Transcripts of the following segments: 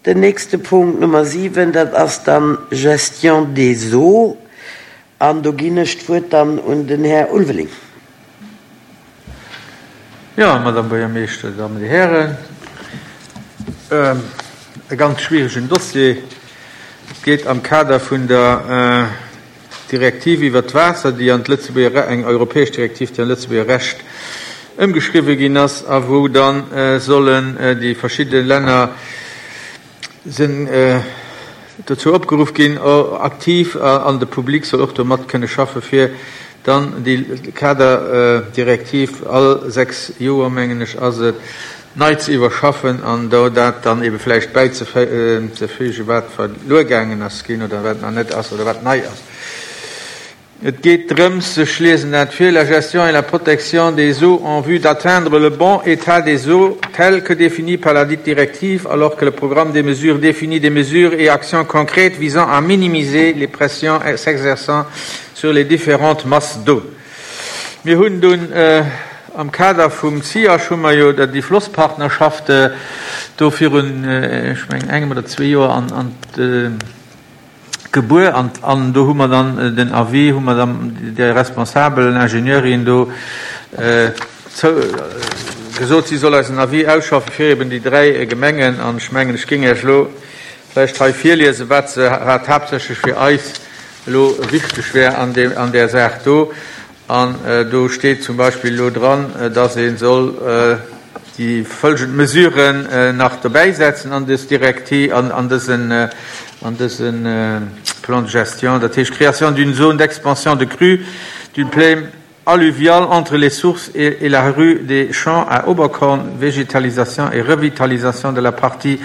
Den nächste Punkt, Nummer 7, dat ass dann Gestion des eaux. An do ginn ech d'Wuert dann un den Här Ulveling. Jo, Madame Buergermeeschter, Dir Dammen, Dir Hären, e ganz schwieregen Dossier. Et geet am Kader vun der Direktiv iwwert d'Waasser, déi an d'Lëtzebuerger, eng europäesch Direktiv, déi an d'Lëtzebuerger Recht ëmgeschriwwen ginn ass a wou da sollen déi verschidde Länner sinn dozou opgeruff ginn, aktiv, an de Public soll och do mat kënne schaffen, fir dann déi Kaderdirektiv all 6 Joer, mengen ech ass et, nei ze iwwerschaffen an do dat dann ebe vläicht bäizefügen, wat verluer gaangen ass ginn oder wat nach net ass oder wat nei ass. Et geet drëms, ech liesen dat vir, la gestion et la protection des eaux en vue d'atteindre le bon état des eaux tel que défini par ladite directive, alors que le programme des mesures définit des mesures et actions concrètes visant à minimiser les pressions s'exerçant sur les différentes masses d'eau. Mir hunn dunn am Kader vum CIAGE hu mer jo déi Flosspartnerschaft do virun, ech mengen, engem oder zwee Joer an gebuer an an do hu mer dann den Avis, hu mer dann där responsabelen Ingenieurin do zou gesot, si soll eis en Avis ausschaffen fir eben déi dräi Gemengen. An ech mengen, ech géing Iech elo vläicht hei virliesen, wat se, wat haaptsächlech fir eis elo wichteg wär an deem, an där Saach do. An do steet zum Beispill elo dran, dass ee soll déi folgend Mesuren nach dobäisetzen an dës Direkti-, an dësen, an dëse Plan de gestion, dat heescht Création d'une zone d'expansion de crue d'une plaine alluviale entre les sources et la rue des Champs à Oberkorn, Végétalisation et revitalisation de la partie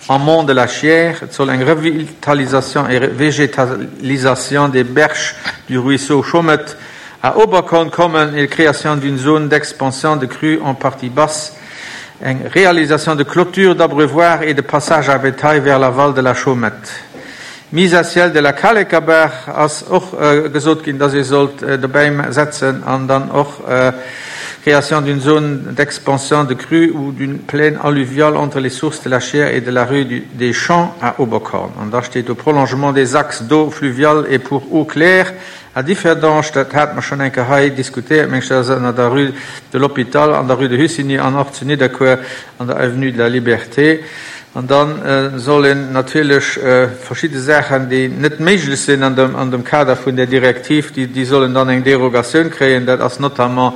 amont de la Chiers. Et soll eng Revitalisation et Végétalisation des berges du ruisseau Chaumet à Oberkorn kommen et création d'une zone d'expansion de crue en partie basse, eng Réalisation de clôtures d'abreuvoirs et de passages à bétail vers l'aval de la Chaumette. Mise à ciel de la Kalekerbaach ass och gesot ginn, dass ee sollt dobäi setzen an dann och Création d'une zone d'expansion de crue ou d'une plaine alluviale entre les sources de la Chiers et de la rue des Champs à Oberkorn. An da steet do Prolongement des axes d'eau fluviale et pour eau claire À Differdange, dat hate mer schonn eng Kéier hei diskutéiert, meng ech, dat ass ënner der Rue de l'Hôpital an der Rue de Hussigny an och zu Nidderkuer an der Avenue de la Liberté. An da soll een natierlech verschidde Saachen, déi net méiglech sinn an dem, an dem Kader vun där Direktiv, déi, déi sollen dann eng Derogatioun kréien. Dat ass notamment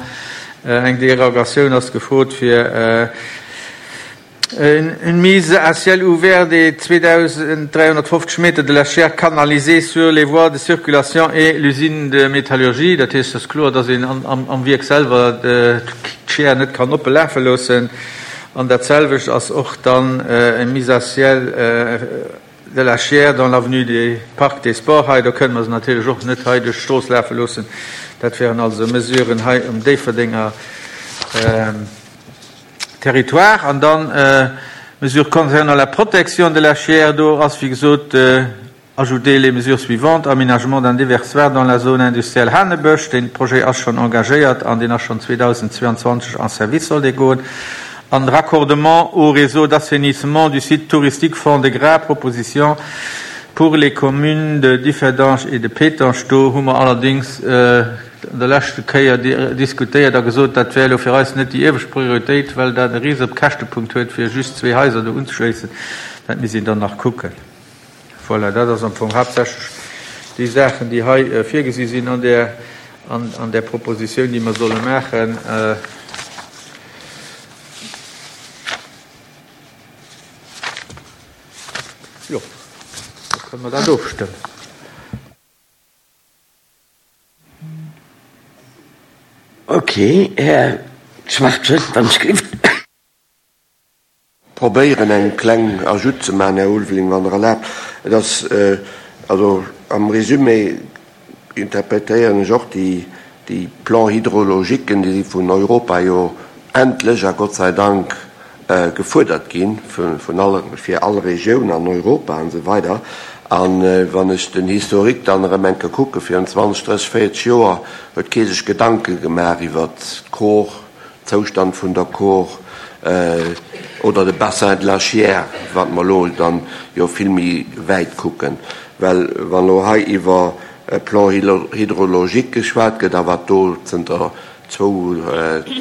eng Derogatioun ass gefrot fir, Une mise à ciel ouvert des 2.350 Meter de la Chiers canalisée sur les voies de circulation et l'usine de métallurgie. Dat heescht, et ass kloer, dass een am Wierk selwer d'Chiers net kann oppe lafe loossen. An dat selwecht ass och dann eng mise à ciel de la Chiers dans l'avenue du Parc des Sports hei. Do kënne mer se natierlech och net hei duerch d'Strooss lafe loossen. Dat wären also Mesuren hei um Déifferdenger Territoire. An dann Mesures concernant la protection de la Chiers, do ass wéi gesot ajouter les mesures suivantes, aménagement d'un déversoir dans la zone industrielle Hanebësch, dee Projet ass schonn engagéiert an deen ass schonn 2022 en service soll dee goen, an raccordement au réseau d'assainissement du site touristique Fond-de-Gras, proposition pour les communes de Differdange et de Pétange. Do hu mer allerdings an der leschte Kéier diskutéiert a gesot, dat wär elo fir eis net déi iewescht Prioritéit, well dat e rise Käschtepunkt huet, fir just zwee Haiser do unzeschléissen. Dat misst een dann nach kucken. Voilà, dat ass am Fong haaptsächlech déi Saachen, déi hei virgesi sinn an där, an där Propositioun, déi mer solle maachen. Jo, da kënne mer dat ofstëmmen. Ok, Här Schwachtgen, wann ech géif. Probéieren eng kleng Ajoute ze maachen, Här Ulveling, wann Der erlaabt. Et ass also am Résumé interpretéieren ech och déi, déi Plans hydrologiquen, déi si vun Europa jo endlech a Gott sei Dank gefuerdert gi vun all, fir all Regioun an Europa an esou weider. A wann ech den Historique dann erëm eng Kéier kucke virun 20, 30, 40 Joer, huet kee sech Gedanke gemaach iwwert d'Kor, Zoustand vun der Kor. Oder de Bassin de la Chiers, wat mer elo dann jo vill méi wäit kucken. Well wann elo hei iwwer e Plan hydrologique geschwat gëtt a wat do zënter zwou,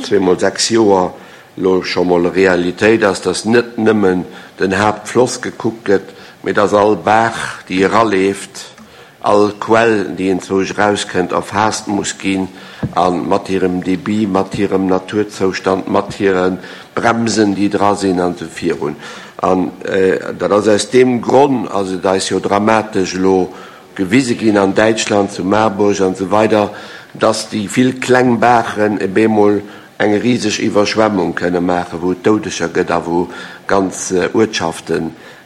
zweemol 6 Joer elo scho mol Realitéit ass, dass net nëmmen den Haaptfloss gekuckt gëtt, mee dass all Baach, déi eraleeft, all Quell, déi enzwousch erauskënnt, erfaasst muss ginn a mat hirem Débit, mat hirem Naturzoustand, mat hire Bremsen, déi dra sinn, an esou virun. An dat ass aus deem Gronn ass et eis jo dramatesch elo gewise ginn an Däitschland, zu Marburg an esou weider, dass déi vill kleng Baachen eb eemol eng riseg Iwwerschwemmung kënne maachen, wou et Doudeger gëtt a wou ganz Uertschafte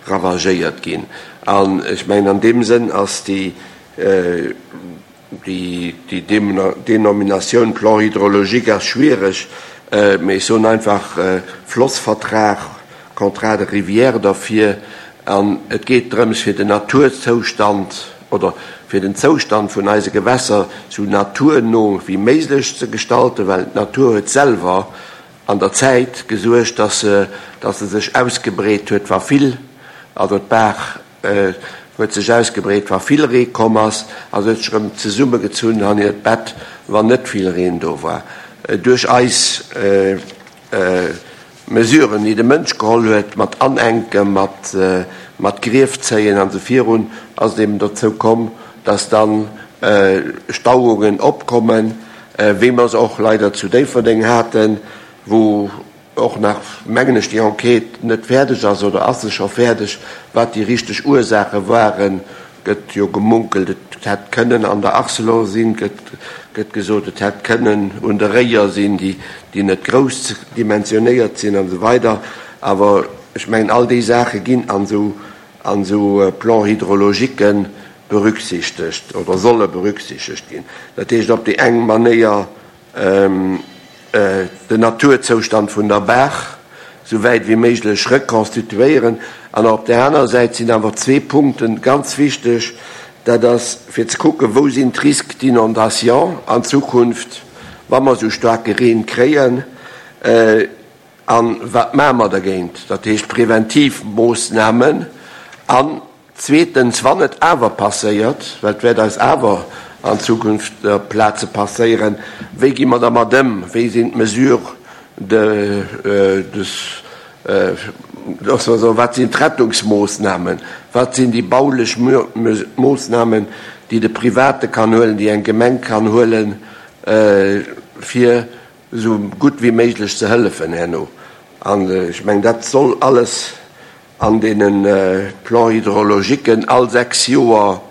ravagéiert ginn. An ech mengen, an deem Sënn ass déi, déi Denominatioun Plan hydrologique ass schwiereg, mee ech soen einfach Flossvertrag, Contrat de rivière derfir. An et geet drëms, fir den Naturzoustand oder fir den Zoustand vun eise Gewässer sou naturno wéi méiglech ze gestalten, well d'Natur huet selwer an der Zäit gesuergt, dass se, dass se sech ausgebreet huet, wa vill, also d'Baach huet sech ausgebreet, wa vill Ree komm ass, a se huet sech erëm zesummegezunn an hiert Bett, wann net vill Reen do war. Duerch eis Mesuren, déi de Mënsch geholl huet, mat Anenken, mat, mat Grief zéien an esou virun, ass et eben dozou komm, dass dann Stauungen opkommen, wéi mer se och leider zu Déifferdeng haten, wou och nach, mengen ech, déi Enquête net fäerdeg ass, oder ass se scho fäerdeg, wat déi richteg Ursaache waren, gëtt jo gemunkelt, et hätt kënnen an der Arcelor sinn, gëtt gëtt gesot, et hätt kënnen un de Réier sinn, déi déi net grouss dimensionéiert sinn an esou weider. Awer ech mengen, all déi Saache ginn an esou an esou Plan-hydrologiquen berücksichtegt oder solle berücksichtegt ginn. Dat heescht op déi eng Manéier den Naturzoustand vun der Baach esou wäit wéi méiglech rekonstituéieren. An op där anerer Säit sinn awer zwee Punkte ganz wichteg, Dat ass fir ze kucken, wou sinn d'Risques d'inondation an Zukunft, wa mer esou staarke Reen kréien. A wat maache mer dergéint? Dat heescht preventiv Moossnamen. An zweetens, wann et awer passéiert, well et wäert eis awer an Zukunft op Plaze passéieren, wéi gi mer dermat ëm? Wéi sinn d'Mesures de, loosse mer soen, wat sinn d'Rettungsmoossnamen? Wat sinn déi baulech Moossnamen, déi de Private kann huelen, déi eng Gemeng kann huelen, fir esou gutt wéi méiglech ze hëllefen herno. An ech mengen, dat soll alles an deene Plan-hydrologiquen all 6 Joer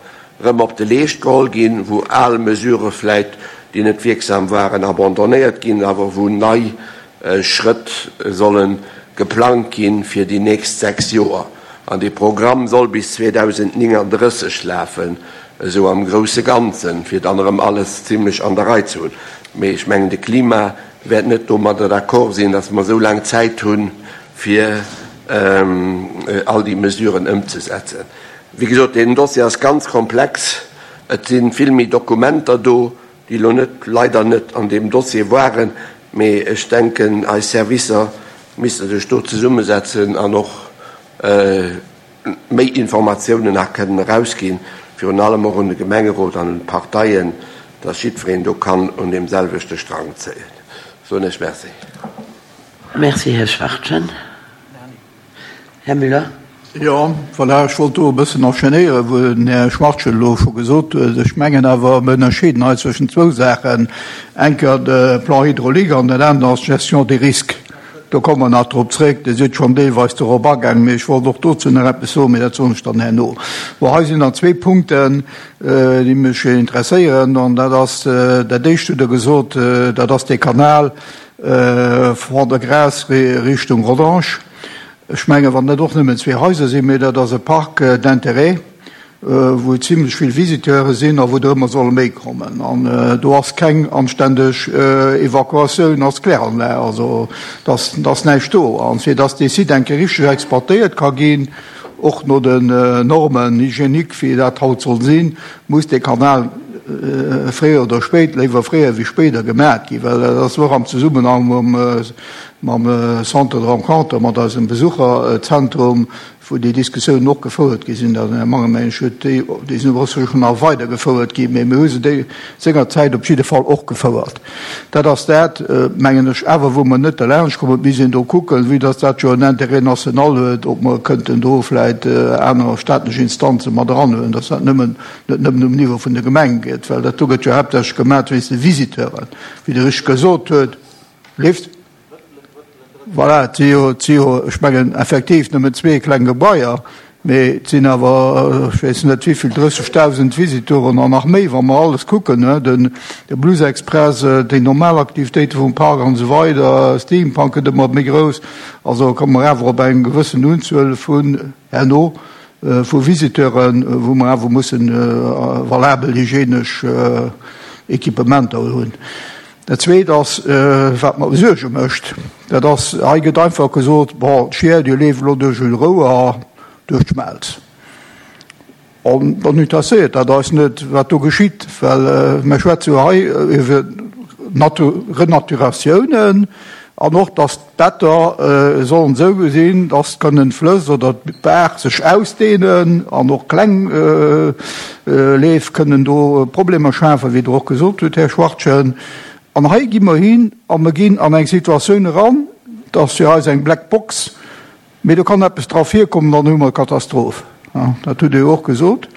erëm op de Leescht geholl ginn, wou al Mesurë vläit, déi net wierksam waren, abandonnéiert ginn, awer wou nei Schrëtt solle geplangt ginn fir déi nächst 6 Joer. An dee Programm soll bis 2039 lafen, esou am grousse Ganzen, fir dann erëm alles zimlech an der Rei ze hunn. Mee ech mengen, de Klima wäert net domadder d'accord sinn, datt mer esou laang Zäit hunn, fir all déi Mesuren ëmzesetzen. Wéi gesot, deen Dossier ass ganz komplex. Et si vill méi Dokumenter do, déi elo net, leider net an deem Dossier waren. Mee ech denken, eis Servicer misste sech do zesummesetzen an och méi Informatiounen nach kënnen erausginn, virun allem och un de Gemengerot an un d'Parteien, dass jiddwereen do kann un deem selwechte Strang zéien. Soen ech Merci. Merci, Här Schwachtgen. Här Müller. Jo, voilà, ech wollt do e bëssen enchaînéieren, wou den Här Schwachtgen elo scho gesot huet. Ech mengen awer, mir ënnerscheeden hei zwëschen zwou Saachen, eng Kéier de Plan hydraulique an dat anert ass d'Gestion des risques. Do komme mer nach drop zréck. Dir sidd schonn deelweis dorop agaangen, mee ech wollt och dozou nach eppes soen, mee dat soen ech dann herno. Bon, hei sinn dann zwee Punkten, déi mech interesséieren, an dat ass dat Éischt, hutt Der gesot, dat ass dee Kanal Fond-de-Gras Richtung Rodange. Ech mengen, wann dat och nëmmen zwee Haiser sinn, mee dat ass e Parc d'intérêt, wou zimlech vill Visiteure sinn a wou der ëmmer solle méi kommen. An do ass keng anständeg Evakuatioun als Kläranlag, also da ass näischt do. An fir dass dee Site eng Kéier richteg exploitéiert ka ginn, och no den Normes hygiéniques, wéi dat haut soll sinn, muss dee Kanal fréier oder spéit, léiwer fréier wéi spéider, gemaat ginn, well dat ass och am Zesummenhang mam. mam Centre de rencontre, mat eisem Besucherzentrum, wou déi Diskussiounen och gefouert gi sinn. Den Här Mangen, mengen ech, huet déi, déi sinn och schonn nach weidergefouert ginn, mee mir hu se déi sengerzäit op jidde Fall och gefouert. Dat ass dat, mengen ech, awer wou mer net derlaanscht kommen. Et misst een do kucken, vue dass dat jo en Intérêt national huet, ob mer kënnten do vläicht aner staatlech Instanze mat eranhuelen, dass dat nëmmen, net nëmmen um Niveau vun der Gemeng gëtt, well dat do gëtt jo haaptsächlech gemaat wéinst de Visiteuren, wéi Der richteg gesot huet. Lift? Voilà, et si jo, et si jo, ech mengen effektiv nëmmen zwee kleng Gebaier, mee et sinn awer, ech weess net wéivill, 30.000 Visiteuren an nach méi, wa mer alles kucken, ne, den, de Blues Express, déi normal Aktivitéite vum Park an esou weider, Steampunk gëtt ëmmer méi grouss. Also komme mer awer op eng gewëssen Unzuel vun, herno, vu Visiteuren, wou mer awer mussen valabel hygienesch Equipementer hunn. Dat Zweet ass, wat mer Suerge mécht, dat ass, hei gëtt einfach gesot, bon, d'Schier, déi leeft elo duerch e Rouer duerch d'Schmelz. An dann interesséiert dat eis net, wat do geschitt, well mer schwätze jo hei iwwer Renaturatiounen an och, datt d'Better sollen esou sinn, datt kënnen d'Flëss oder d'Baach sech ausdehnen an och kleng Leef kënnen do Problemer schafen, wéi Der och gesot hutt, Här Schwachtgen. An hei gi mer hin a mer ginn an eng Situatioun eran, dat ass fir eis eng Black Box, mee do kann eppes dra virkommen, dann hu mer Katastroph. Dat hutt Der jo och gesot.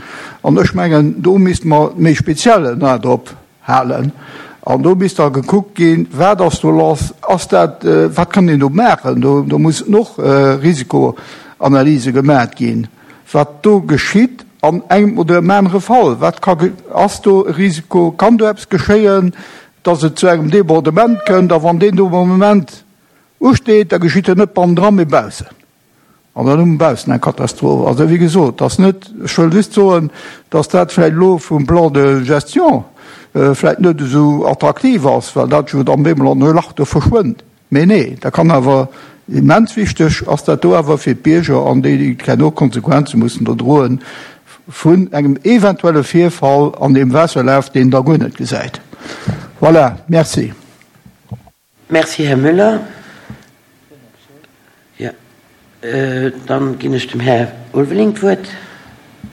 An ech mengen, do misste mer méi speziell en A drop halen. An do misst da gekuckt ginn, wat ass do lass, ass dat, wat kann een do maachen? Do, do mussen och Risikoanalyse gemaat ginn, wat do geschitt an engem oder em anere Fall. Wat ka, ass do e Risiko, kann do eppes geschéien, dass et zu engem Débordement kënnt? A wann deen Débordement usteet, da geschitt en net bannendran, mee baussen. An dann hu mer baussen eng Katastroph. Also, wéi gesot, ass net, ech wëll just soen, dass dat vläicht elo vum Plan de gestion vläicht net esou attraktiv ass, well dat jo dann bemol an e Lach do verschwënnt. Mee nee, dat kann awer immens wichteg ass dat do awer fir d'Bierger an déi, déi herno d'Konsequenze mussen do droen vun engem eventuelle Virfall an deem Waasserlaf, deen da guer net gesäit. Voilà, merci. Merci, Här Müller. Jo, dann ginn ech dem Här Ulveling d'Wuert.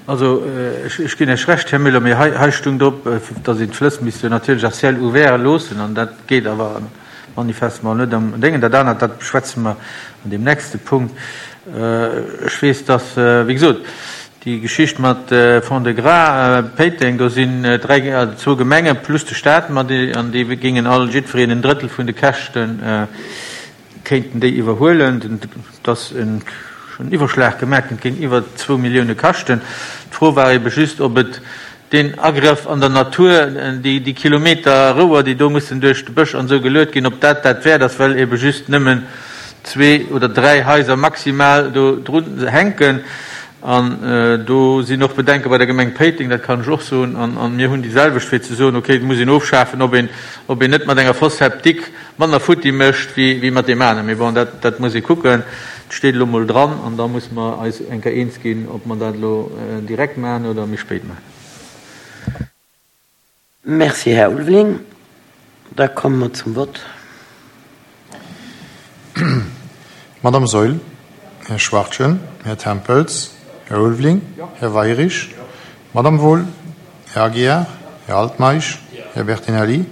Also, ech ginn Iech Recht, Här Müller, mee hei stung drop, datt een d'Flëss misst jo natierlech à ciel ouvert loossen, an dat geet awer manifestement net am Déngen. Dat anert, dat beschwätze mer an deem nächste Punkt. Ech weess, datt, wéi gesot, Déi Geschicht mat Fond-de-Gras, Péiteng, do sinn dräi, also zwou Gemenge plus de Staat mat an déi géingen all jiddwereen en Drëttel vun de Käschte kéinten déi iwwerhuelen. Et ass en Iwwerschlag gemaach ginn, et géing iwwer zwou Millioune kaschten. D'Fro war ebe just, ob et deen Agrëff an der Natur, déi Kilometer Rouer, déi do mussen duerch de Bësch an esou geluet ginn, ob dat dat wäert ass, well ebe just nëmmen zwee oder dräi Haiser maximal do drun hänken. An do sinn och Bedenke bei der Gemeng Péiteng, dat kann ech och soen. An mir hunn déi selwecht, fir ze soen, okay, et muss een ofschafen, ob een, ob een net mat enger Fosse septique manner futti mécht wéi mat deem aneren. Mee bon, dat, dat muss ee kucken. Et steet elo emol dran an da musse mer eis eng Kéier eens ginn, ob mer dat elo direkt maachen oder méi spéit maachen. Merci, Här Ulveling. Da komme mer zum Vott. Madame Saeul, Här Schwachtgen, Här Tempels, Här Ulveling, Här Weirich, Madame Wohl, Här Aguiar, Här Altmeisch, Här Bertinelli,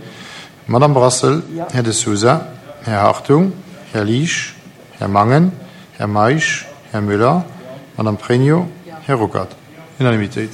Madame Brassel, Här De Sousa, Här Hartung, Här Liesch, Här Mangen, Här Meisch, Här Müller, Madame Pregno, Här Ruckert. Unanimitéit.